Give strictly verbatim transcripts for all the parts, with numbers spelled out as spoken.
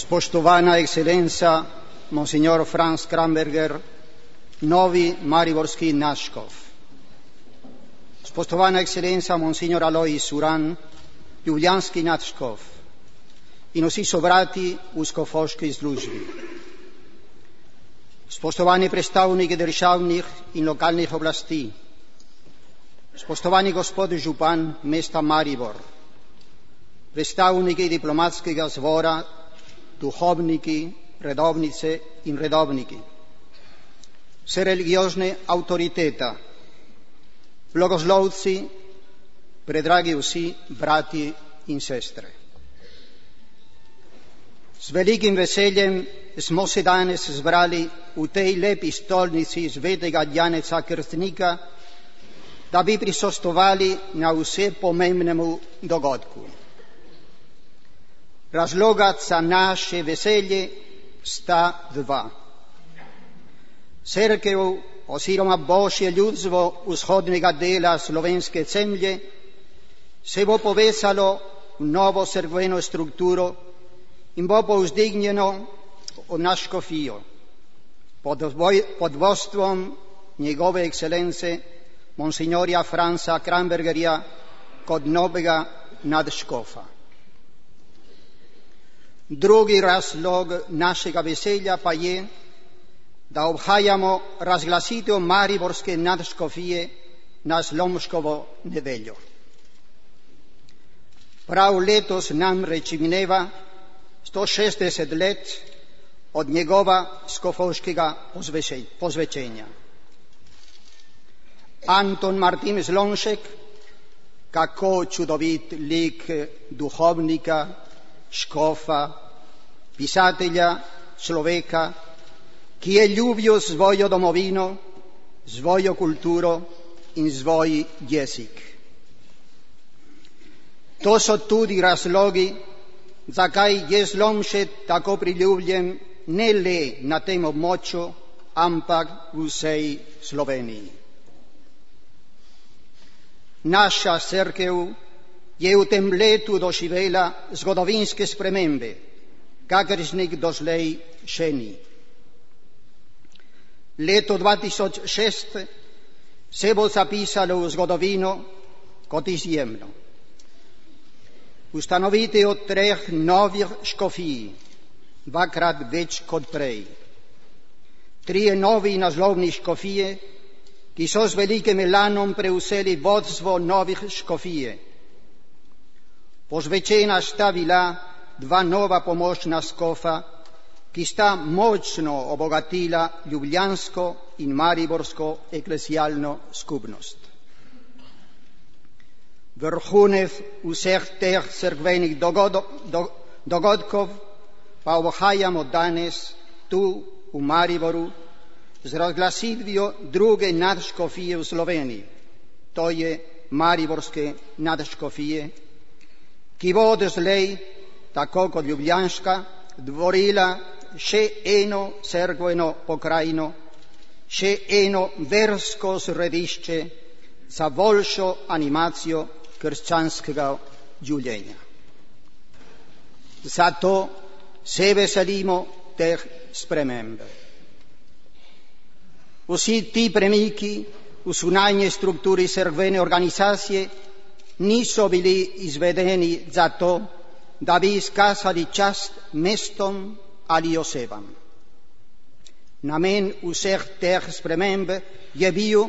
Spoštovana ekscelenca, monsignor Franz Kramberger, novi mariborski nadškof. Spoštovana ekscelenca, monsignor Alojz Uran, ljubljanski nadškof in vsi sobrati v škofovski službi. Spoštovani predstavniki državnih in lokalnih oblasti, spoštovani gospod župan mesta Maribor, predstavniki diplomatskega zbora, duhovniki, redovnice in redovniki, vse religiozne avtoritete, blagoslovci, predragi vsi brati in sestre. Z velikim veseljem smo se danes zbrali v tej lepi stolnici svetega Janeza Krstnika, da bi prisostvovali na vse pomembnemu dogodku. Razloga za naše veselje sta dva. Cerkev oziroma Božje ljudstvo vzhodnega dela slovenske zemlje se bo povezalo v novo cerkveno strukturo in bo povzdignjeno v naš škofijo pod vodstvom njegove ekscelence monsignorja Franza Krambergerja kot novega nadškofa. Drugi razlog našega veselja pa je, da obhajamo razglasitev mariborske nadškofije na Slomškovo nedeljo. Prav letos namreč mineva sto šestdeset let od njegova škofovskega posvečenja. Anton Martin Slomšek, kako čudovit lik duhovnika, škofa, pisatelja, človeka, ki je ljubil svojo domovino, svojo kulturo in svoj jezik. To so tudi razlogi, zakaj je Slomšek tako priljubljen ne le na tem območju, ampak v vsej Sloveniji. Naša cerkev je v tem letu doživela zgodovinske spremembe, kakršnih doslej še ni. Leto dva tisoč šest se bo zapisalo v zgodovino kot izjemno. Ustanovitev treh novih škofij, dvakrat več kot prej. Trije novi naslovni škofije, ki so z velikim elanom prevzeli vodstvo novih škofije. Posvečena sta bila dva nova pomočna škofa, ki sta močno obogatila ljubljansko in mariborsko eklesialno skupnost. Vrhunec vseh teh cerkvenih dogodkov pa obhajamo danes tu v Mariboru z razglasitvijo druge nadškofije v Sloveniji, to je mariborske nadškofije, ki bo odslej, tako kot ljubljanska, dvorila še eno cerkveno pokrajino, še eno versko središče za boljšo animacijo krščanskega življenja. Zato se veselimo teh sprememb. Vsi ti premiki v zunanji strukturi cerkvene organizacije niso bili izvedeni zato, da bi izkazali čast mestom ali osebam. Namen vseh teh sprememb je bil,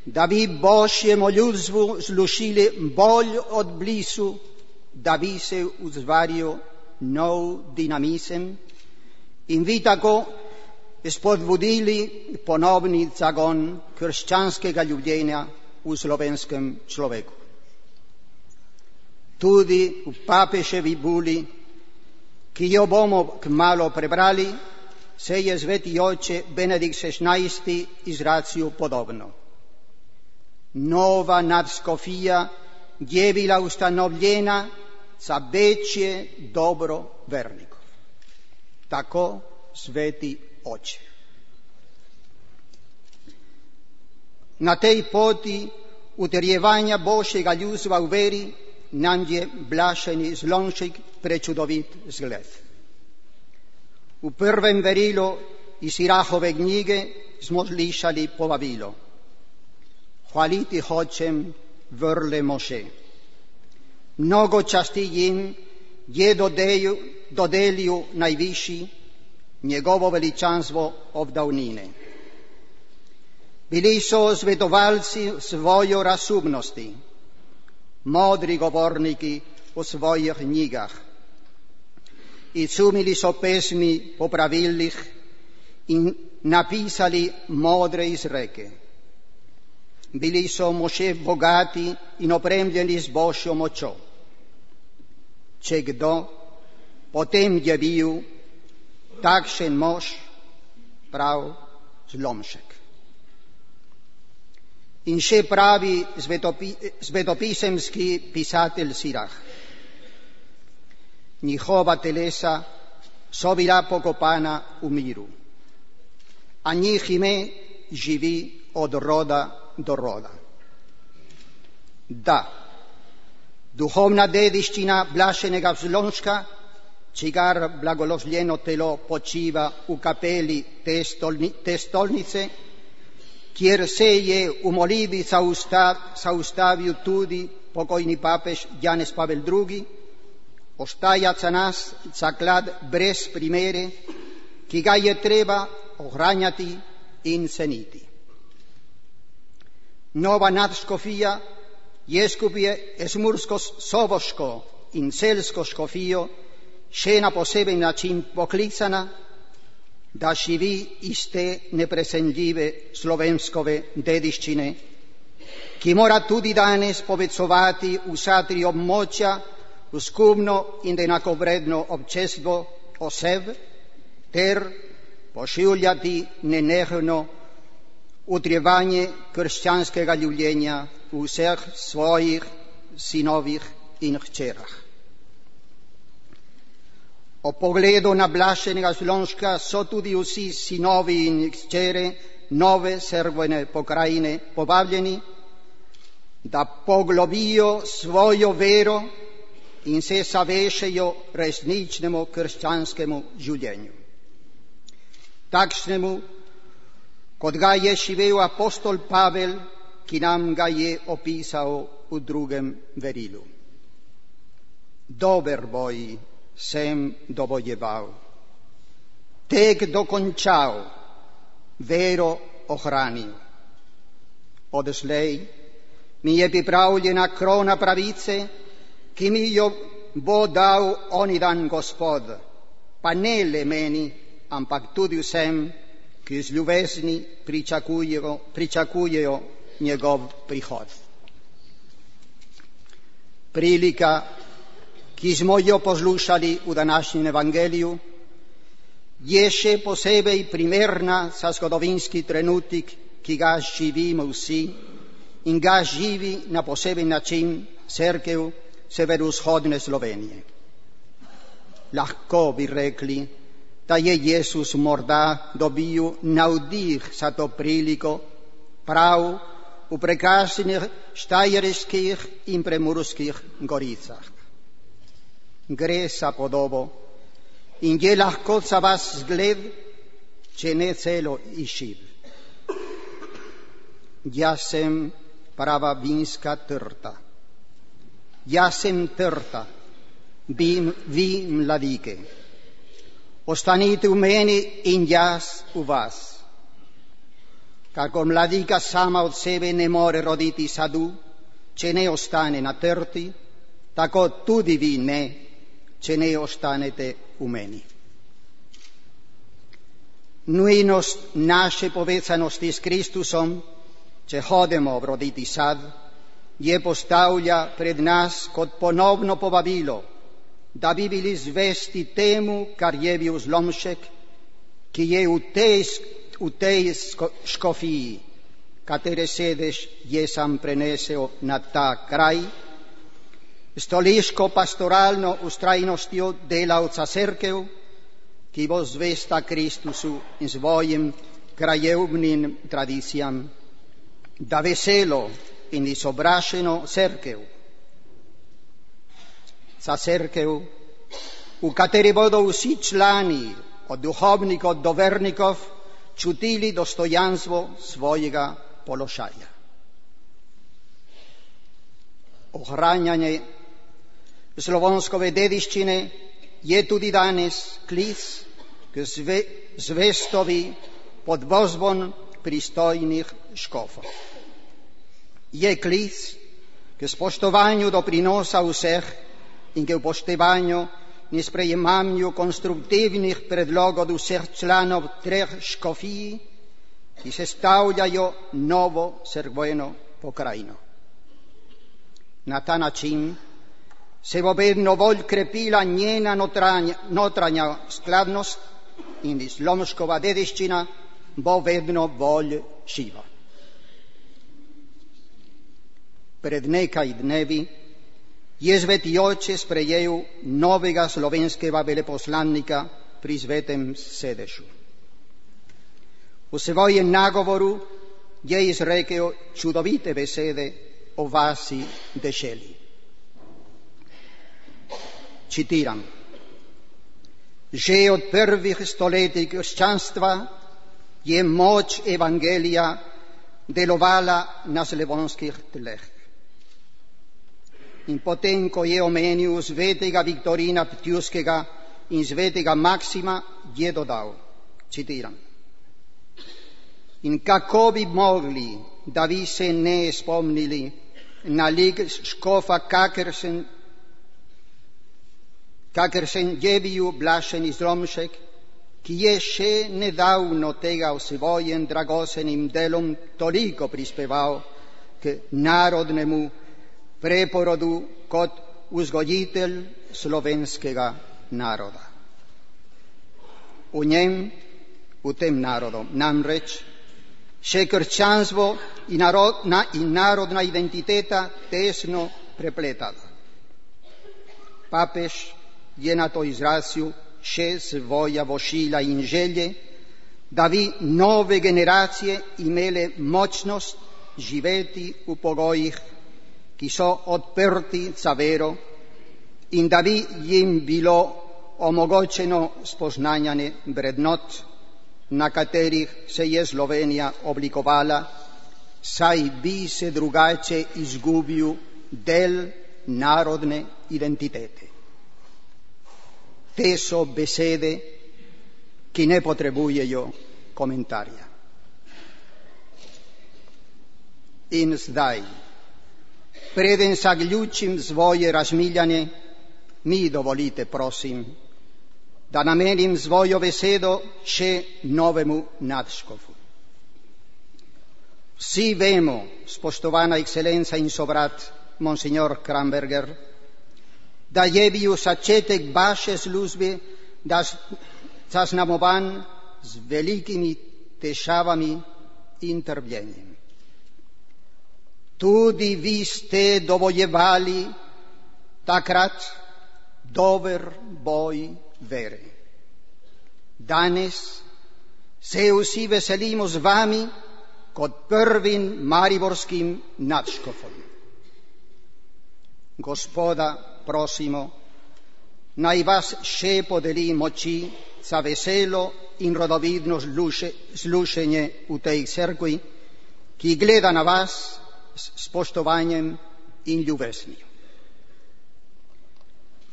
da bi Božjemu ljudstvu služili bolj od blizu, da bi se ustvaril nov dinamizem in bi tako spodbudili ponovni zagon krščanskega življenja v slovenskem človeku. Tudi v papeževi buli, ki jo bomo kmalu prebrali, se je sveti oče Benedikt šestnajsti izrazil podobno. Nova nadškofija je bila ustanovljena za večje dobro vernikov. Tako sveti oče. Na tej poti utrjevanja Božjega ljudstva v veri nam je blaženi Slomšek prečudovit zgled. U prvem verilu iz Sirachove knjige smo slišali povabilo. Hvaliti hoćem vrle Moše. Mnogo časti jim je dodelju, dodelju najviši, njegovo veličanstvo od davnine. Bili so svetovalci svojo razumnosti, modri govorniki o svojih knjigah. I sumili so pesmi po pravilih in napisali modre izreke. Bili so Moše bogati in opremljeni z Božjo močjo. Če kdo potem je bil takšen mož, prav zlomšek. In še pravi svetopi, svetopisemski pisatelj Sirach. Njihova telesa so bila pokopana v miru, a njih ime živi od roda do roda. Da, duhovna dediščina blaženega Vzlomška, čigar blagoslovljeno telo počiva v kapeli te, stolni, te stolnice, kjer se je v molitvi zaustavil tudi pokojni papež Janez Pavel drugi, ostaja za nas zaklad brez primere, ki ga je treba ohranjati in ceniti. Nova nadškofija je skupaj z mursko-soboško in celsko škofijo še na poseben način poklicana, da živi iz te neprecenljive slovenskove dediščine, ki mora tudi danes povezovati vsa tri območja v skupno in enakovredno občestvo oseb ter pošiljati nenehno utrjevanje krščanskega življenja v vseh svojih sinovih in hčerah. O pogledu na blaženega Vzlomška so tudi vsi sinovi in hčere nove Cerkvene pokrajine povabljeni, da poglobijo svojo vero in se zavešajo resničnemu krščanskemu življenju. Takšnemu, kot ga je živel apostol Pavel, ki nam ga je opisal v drugem verilu. Dober boj sem dobojeval, tek dokončal, vero ohranil. Odslej mi je pripravljena krona pravice, ki mi jo bo dal oni dan Gospod, pa ne le meni, ampak tudi vsem, ki z ljubezni pričakujejo, pričakujejo njegov prihod. Prilika, ki smo jo poslušali v današnjem evangeliju, je še posebej primerna za zgodovinski trenutek, ki ga živimo vsi in ga živi na poseben način Cerkev severovzhodne Slovenije. Lahko bi rekli, da je Jezus morda dobil navdih za to priliko prav v prekrasnih štajerskih in prekmurskih goricah. Gre za podobo in je lahko za vas zgled, če ne celo izziv. Jaz sem prava vinska trta. Jaz sem trta, vi, vi mladike. Ostanite v meni in jaz v vas. Kako mladika sama od sebe ne more roditi sadu, če ne ostane na trti, tako tudi vi ne, če ne ostanete v meni. Nujnost naše povezanosti s Kristusom, če hodimo roditi sad, je postavlja pred nas kot ponovno povabilo, da bi bili zvesti temu, kar je bil Zlomšek, ki je v tej, v tej škofiji, katere sedež je sam prenesel na ta kraj, stoliško pastoralno ustrajnostjo delavca Cerkev, ki bo zvesta Kristusu in svojim krajevnim tradicijam, da veselo in izobraženo Cerkev, za Cerkev, v kateri bodo vsi člani od duhovnikov, od dovernikov čutili dostojanstvo svojega položaja. Ohranjanje slavonskove dediščine je tudi danes klic k zve, zvestovi pod vozbon pristojnih škofov. Je klic k spoštovanju doprinosa vseh in k upoštevanju in sprejemanju konstruktivnih predlogov vseh članov treh škofij, ki sestavljajo novo cerkveno pokrajino. Na ta način se bo vedno bolj krepila njena notranja, notranja skladnost in slomškova dediščina bo vedno bolj živa. Pred nekaj dnevi je Sveti Oče sprejel novega slovenskega veleposlanika pri Svetem sedežu. V svojem nagovoru je izrekel čudovite besede o vasi deželi. Citiram: Že od prvih stoletij krščanstva je moč evangelija delovala na slavonskih tleh. In potem, ko je omenil svetega Viktorina Ptujskega in svetega Maksima, je dodal, citiram: In kako bi mogli, da vi se ne spomnili na lik škofa, kakršen, kakršen je bil Blaženi Zlomšek, ki je še nedavno tega v svojim dragocenim delom toliko prispeval k narodnemu preporodu kot vzgojitelj slovenskega naroda. V njem, v tem narodu, namreč še krščanstvo in, narodna, in narodna identiteta tesno prepletala. Papež je na to izrazil še svoja vošila in želje, da bi nove generacije imele močnost živeti v pogojih, ki so odprti za vero, in da bi jim bilo omogočeno spoznanje vrednot, na katerih se je Slovenija oblikovala, saj bi se drugače izgubil del narodne identitete. Te so besede, ki ne potrebujejo komentarja. In zdaj, preden zaključim svoje razmišljanje, mi dovolite, prosim, da namenim svojo besedo še novemu nadškofu. Vsi vemo, spoštovana ekscelenca in sobrat, monsignor Kramberger, da je bil začetek vaše službe zaznamovan z velikimi težavami in trpljenjem. Tudi vi ste dovojevali takrat dober boj vere. Danes se vsi veselimo z vami kot prvim mariborskim nadškofom. Gospoda prosimo, naj vas še podeli moči za veselo in rodovidno slušenje v tej cerkvi, ki gleda na vas s spoštovanjem in ljubeznijo.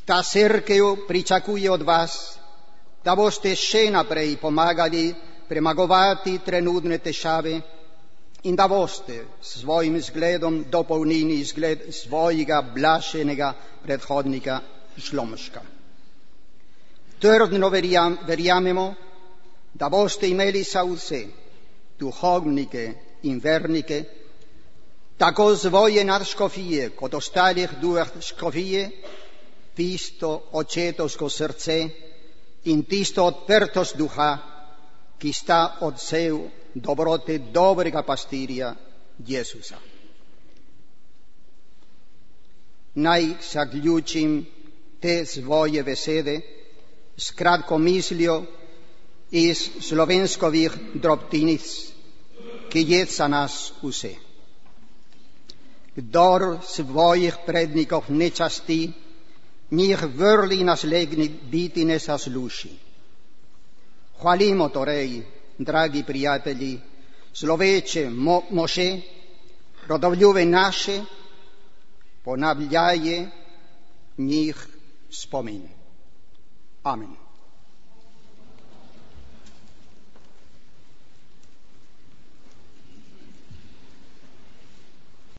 Ta cerkev pričakuje od vas, da boste še naprej pomagali premagovati trenutne težave in da boste s svojim zgledom dopolnili zgled svojega blaženega predhodnika Zlomška. Trdno verjamemo, da boste imeli za vse duhovnike in vernike, tako svoje nadškofije kot ostalih dveh škofije, tisto očetovsko srce in tisto odprtost duha, ki sta odsev dobrote dobrega pastirja Jezusa. Naj zaključim te svoje besede s kratko mislijo iz slovenskovih drobtinic, ki je za nas vse. Kdor svojih prednikov ne časti, njih vrli naslednji biti ne zasluži. Хвалимо Торей, драгі приятелі, словече Моше, родовлюбе наше, понавляє них спомин. Амин.